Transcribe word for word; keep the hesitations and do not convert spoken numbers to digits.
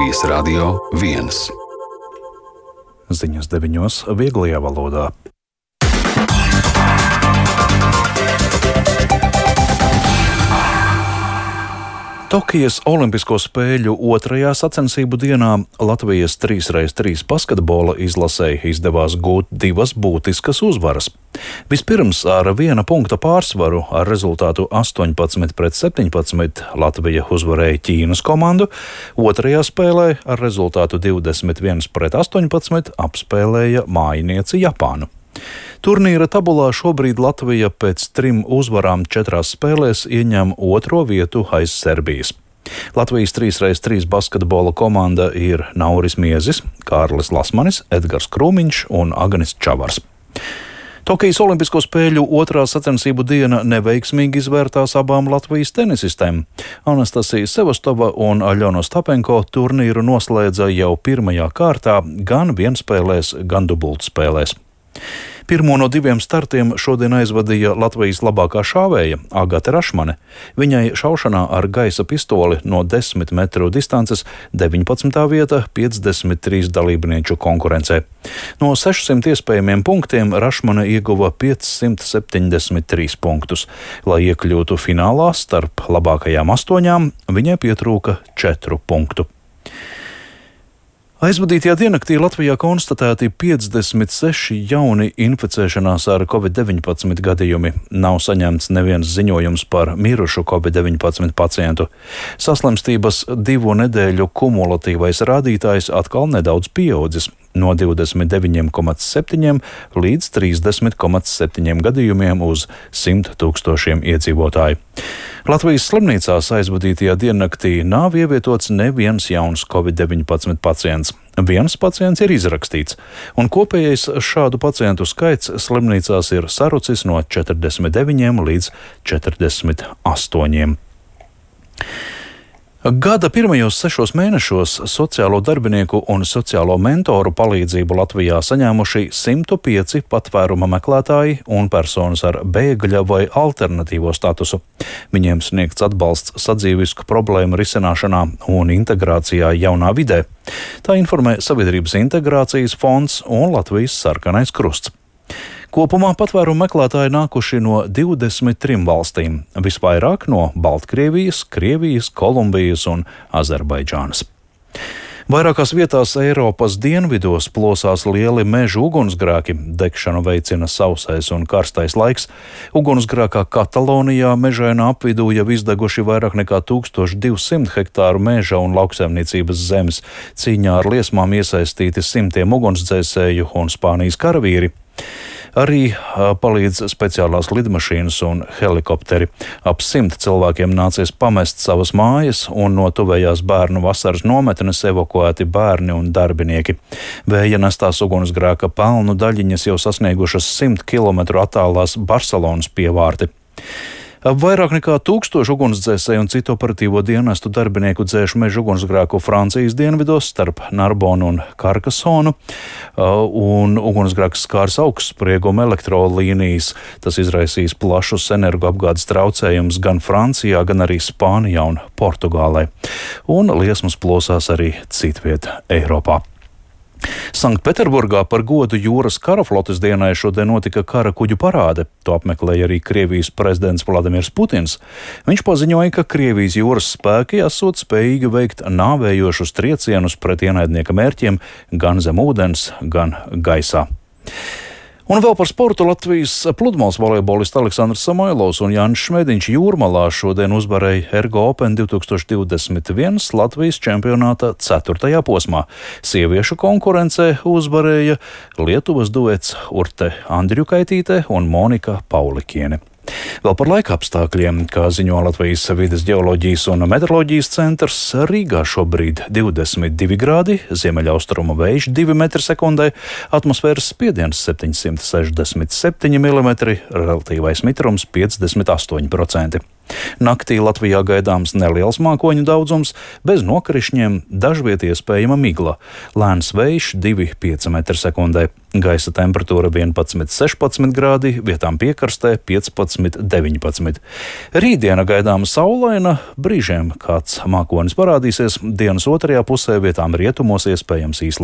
Latvijas Radio viens. Ziņas deviņos vieglajā valodā. Tokijas Olimpisko spēļu otrajā sacensību dienā Latvijas trīs pret trīs basketbola izlasei izdevās gūt divas būtiskas uzvaras. Vispirms ar viena punkta pārsvaru ar rezultātu astoņpadsmit pret septiņpadsmit Latvija uzvarēja Ķīnas komandu, otrajā spēlē ar rezultātu divdesmit viens pret astoņpadsmit apspēlēja mājinieci Japānu. Turnīra tabulā šobrīd Latvija pēc trim uzvarām četrās spēlēs ieņem otro vietu aiz Serbijas. Latvijas trīs pret trīs basketbola komanda ir Nauris Miezis, Kārlis Lasmanis, Edgars Krūmiņš un Agnis Čavars. Tokijas Olimpisko spēļu otrā sacensību diena neveiksmīgi izvērtās abām Latvijas tenisistēm. Anastasija Sevastova un Aļona Ostapenko turnīru noslēdza jau pirmajā kārtā gan vienspēlēs, gan dubultspēlēs. Pirmo no diviem startiem šodien aizvadīja Latvijas labākā šāvēja Agate Rašmane. Viņai šaušanā ar gaisa pistoli no desmit metru distances deviņpadsmitā vieta piecdesmit trīs dalībnieču konkurencē. No sešsimt iespējamiem punktiem Rašmane ieguva piecsimt septiņdesmit trīs punktus. Lai iekļūtu finālā starp labākajām astoņām, viņai pietrūka četru punktu. Aizvadītajā diennaktī Latvijā konstatēti piecdesmit seši jauni inficēšanās ar covid deviņpadsmit gadījumi. Nav saņemts neviens ziņojums par mirušu covid deviņpadsmit pacientu. Saslimstības divu nedēļu kumulatīvais rādītājs atkal nedaudz pieaudzis no divdesmit deviņi komats septiņi līdz trīsdesmit komats septiņi gadījumiem uz simt tūkstošiem iedzīvotāju. Latvijas slimnīcās aizvadītajā diennaktī nav ievietots neviens jauns covid deviņpadsmit pacients. Viens pacients ir izrakstīts, un kopējais šādu pacientu skaits slimnīcās ir sarucis no četrdesmit deviņiem līdz četrdesmit astoņiem. Gada pirmajos sešos mēnešos sociālo darbinieku un sociālo mentoru palīdzību Latvijā saņēmuši simt pieci patvēruma meklētāji un personas ar bēgļa vai alternatīvo statusu. Viņiem sniegts atbalsts sadzīvisku problēmu risināšanā un integrācijā jaunā vidē. Tā informē Sabiedrības integrācijas fonds un Latvijas Sarkanais krusts. Kopumā patvērumu meklētāji nākuši no divdesmit trim valstīm, visvairāk no Baltkrievijas, Krievijas, Kolumbijas un Azerbaidžānas. Vairākās vietās Eiropas dienvidos plosās lieli mežu ugunsgrēki, degšanu veicina sausais un karstais laiks. Ugunsgrēkā Katalonijā mežainā apvidū jau izdeguši vairāk nekā tūkstoš divsimt hektāru meža un lauksaimniecības zemes. Cīņā ar liesmām iesaistīti simtiem ugunsdzēsēju un Spānijas karavīri. Arī palīdz speciālās lidmašīnas un helikopteri. Ap simt cilvēkiem nācies pamest savas mājas, un no tuvējās bērnu vasaras nometnes evakuēti bērni un darbinieki. Vēja nestās ugunsgrēka pelnu daļiņas jau sasniegušas simt kilometru attālās Barcelonas pievārti. Vairāk nekā tūkstoši ugunsdzēsēju un citu operatīvo dienestu darbinieku dzēš meža ugunsgrēku Francijas dienvidos starp Narbonu un Karkasonu, un ugunsgrēks skārs augstsprieguma elektrolīnijas. Tas izraisīs plašus energoapgādes traucējumus gan Francijā, gan arī Spānijā un Portugālē. Un liesmas plosās arī citviet Eiropā. Sanktpēterburgā par godu jūras karaflotes dienai šodien notika kara kuģu parāde. To apmeklēja arī Krievijas prezidents Vladimirs Putins. Viņš paziņoja, ka Krievijas jūras spēki esot spējīgi veikt nāvējošus triecienus pret ienaidnieka mērķiem gan zem ūdens, gan gaisā. Un vēl par sportu. Latvijas pludmales volejbolists Aleksandrs Samailovs un Jānis Šmēdiņš Jūrmalā šodien uzvarēja Ergo Open divtūkstoš divdesmit viens Latvijas čempionāta ceturtajā posmā. Sieviešu konkurencē uzvarēja Lietuvas duets Urte Andriukaitīte un Monika Paulikiene. Vēl par laika apstākļiem, kā ziņo Latvijas vides ģeoloģijas un meteoroloģijas centrs, Rīgā šobrīd divdesmit divi grādi, ziemeļaustrumu vējš divi metri sekundē, atmosfēras spiediens septiņsimt sešdesmit septiņi milimetri, relatīvais mitrums piecdesmit astoņi procenti. Naktī Latvijā gaidāms neliels mākoņu daudzums, bez nokrišņiem, dažviet iespējama migla. Lēns vējš divi līdz pieci metri sekundē. Gaisa temperatūra vienpadsmit līdz sešpadsmit grādi, vietām piekrastē piecpadsmit līdz deviņpadsmit. Rītdiena gaidāma saulaina, brīžiem kāds mākonis parādīsies, dienas otrajā pusē vietām rietumos iespējams īslaicīgs